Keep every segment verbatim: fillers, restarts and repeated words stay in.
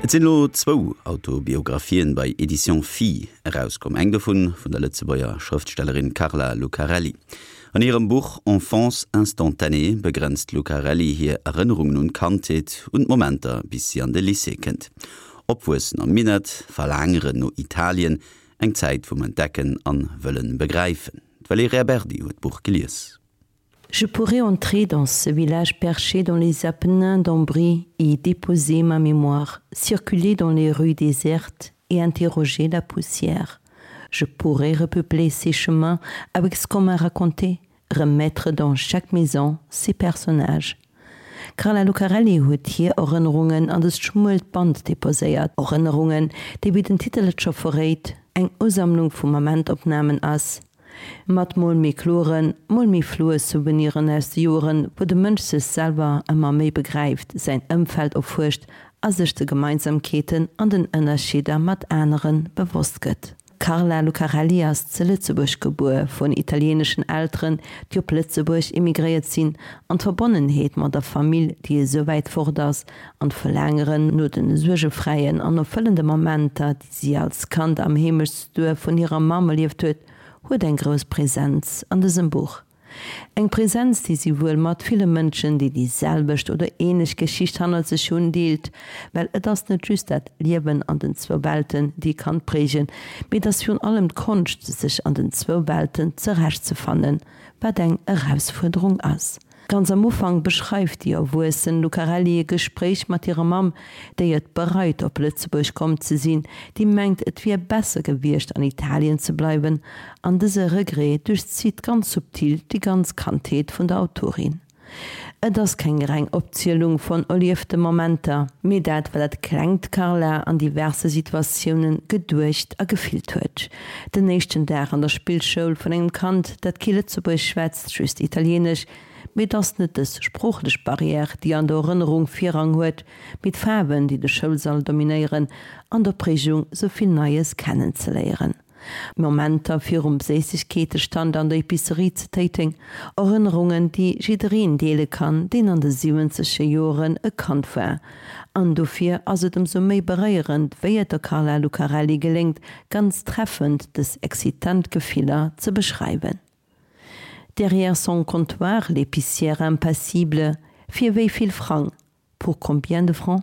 Et sinn elo zwou Autobiographien bei Éditions Phi erauskomm, eng dovun vun der Lëtzebuerger Schrëftstellerin Carla Lucarelli. An hirem Buch Enfance instantanée begrenzt d'Lucarelli hir Erënnerungen un d'Kandheet, un d'Momenter bis si an de Lycée kënnt. Opwuessen am Minett, Verlaangeren no Italien, eng Zäit vum Entdecken an wëllen begräifen. D'Valerija Berdi huet d'Buch gelies. Je pourrais entrer dans ce village perché dans les Apennins d'Ombrie et y déposer ma mémoire, circuler dans les rues désertes et interroger la poussière. Je pourrais repeupler ces chemins avec ce qu'on m'a raconté, remettre dans chaque maison ses personnages. D'Carla Lucarelli huet hir Erënnerungen an dëst schmuelt Band deposéiert, Erënnerungen, déi wéi den Titel et scho verréit, eng Usammlung vu Momentopnamen ass, mat mol méi kloren, mol méi floue Souveniren aus de Joren, wou de Mënsch sech selwer ëmmer méi begräift, säin Ëmfeld erfuerscht a sech de Gemeinsamkeeten an den Ënnerscheeder mat anere bewosst gëtt. D'Carla Lucarelli ass ze Lëtzebuerg gebuer, vun italieeneschen Elteren, déi op Lëtzebuerg immigréiert sinn, an d'Verbonnenheet mat der Famill, déi esou wäit fort ass, an d'Verlaangeren no de suergefräien an erfëllende Momenter, déi si als Kand am Heemechtsduerf vun hirer Mamm erlieft huet, huet eng grouss Präsenz an dësem Buch. Eng Präsenz, déi si wuel mat ville Mënschen, déi déi selwecht oder ähnlech Geschicht hannert sech hunn, deelt. Well et ass net just dat Liewen an den zwou Welten, déi e Kand prägen, mee et ass virun allem d'Konscht, sech an den zwou Welten zerechtzefannen, wat eng Erausfuerderung ass. Ganz am Ufank beschreift déi erwuessen Lucarelli e Gespréich mat hirer Mamm, déi et bereit op Lëtzebuerg komm ze sinn, déi mengt et wier besser gewiescht an Italien ze bleiwen, an dëse Regret duerchzitt ganz subtil déi ganz Kandheet vun der Autorin. Et ass keng reng Opzielung von erliefte Momenter, mee dat wat dat klengt Carla an diverse Situatiounen geduecht a gefillt huet. Den éischten Dag an der Spillschoul vun engem Kand, dat kee Lëtzebuergesch schwätzt, just Italienesch, mee et ass net dës sproochlech Barrière, déi an der Erënnerung Virrang huet, mee d'Faarwen, déi de Schoulsall dominéieren an d'Opreegung, sou vill Neies kennenzeléieren. Momenter virum Séissegkeetestand an der Epicerie ze Téiteng, Erënnerungen, déi jiddereen deele kann, deen an de siwwenzeger Joren e Kand war. An dofir ass et ëmsou méi beréierend, wéi et der Carla Lucarelli geléngt, ganz treffend dës excitant Gefiller ze beschreiwen. Derrière son comptoir, l'épicière impassible, Fir wéi vill Frang? Pour combien de francs?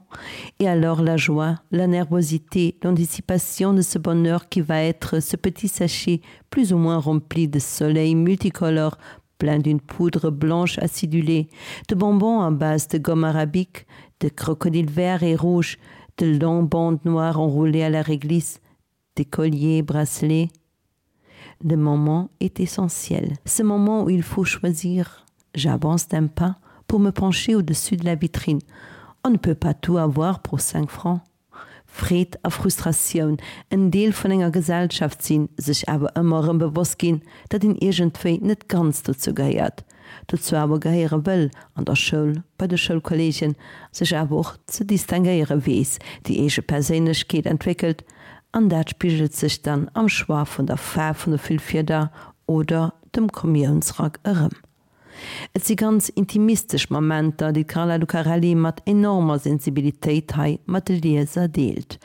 Et alors la joie, la nervosité, l'anticipation de ce bonheur qui va être ce petit sachet plus ou moins rempli de soleil multicolore plein d'une poudre blanche acidulée, de bonbons à base de gomme arabique, de crocodiles verts et rouges, de longues bandes noires enroulées à la réglisse, des colliers bracelets. Le moment est essentiel, ce moment où il faut choisir. J'avance d'un pas pour me pencher au-dessus de la vitrine. On ne peut pas tout avoir pour cinq francs. Freed a Frustratioun, en Deel vun enger Gesellschaft sinn, sech awer ëmmer erëm bewosst ginn, datt een iergendwéi net ganz dozou gehéiert, dozou awer gehéiere wëll, an der Schoul, bei de Schoulkolleegen, sech awer och ze distinguéiere weess, déi eege Perséinlechkeet entwéckelt, an dat spigelt sech dann am Choix vun der Faarf vun de Füllfieder oder dem Kommiounsrack erëm. Et si ganz intimistesch Momenter, déi d'Carla Lucarelli mat enormer Sensibilitéit hei mat de Lieser deelt.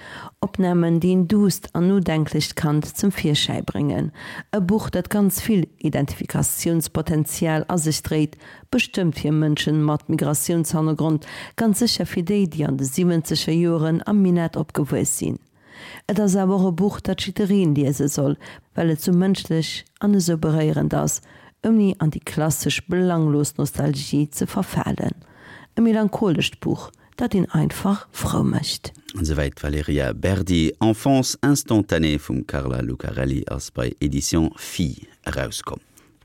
Opnamen, déi en duusst an nodenklecht Kand zum Virschäi bréngen. E Buch, dat ganz vill Identifikatiounspotenzial a sech dréit, bestëmmt fir Mënschen mat Migratiounshannergrond, ganz sécher fir déi, déi an de siwwenzeger Joren am Minett opgewuess sinn. Et ass awer och e Buch, dat jiddereen liese soll, well et sou mënschlech an esou beréierend ass, ouni an déi klassesch belanglos Nostalgie ze verfalen. E melancholescht Buch, dat een einfach frou mécht. Esouwäit d'Valerija Berdi. Enfance instantanée vum Carla Lucarelli ass bei Éditions Phi erauskomm.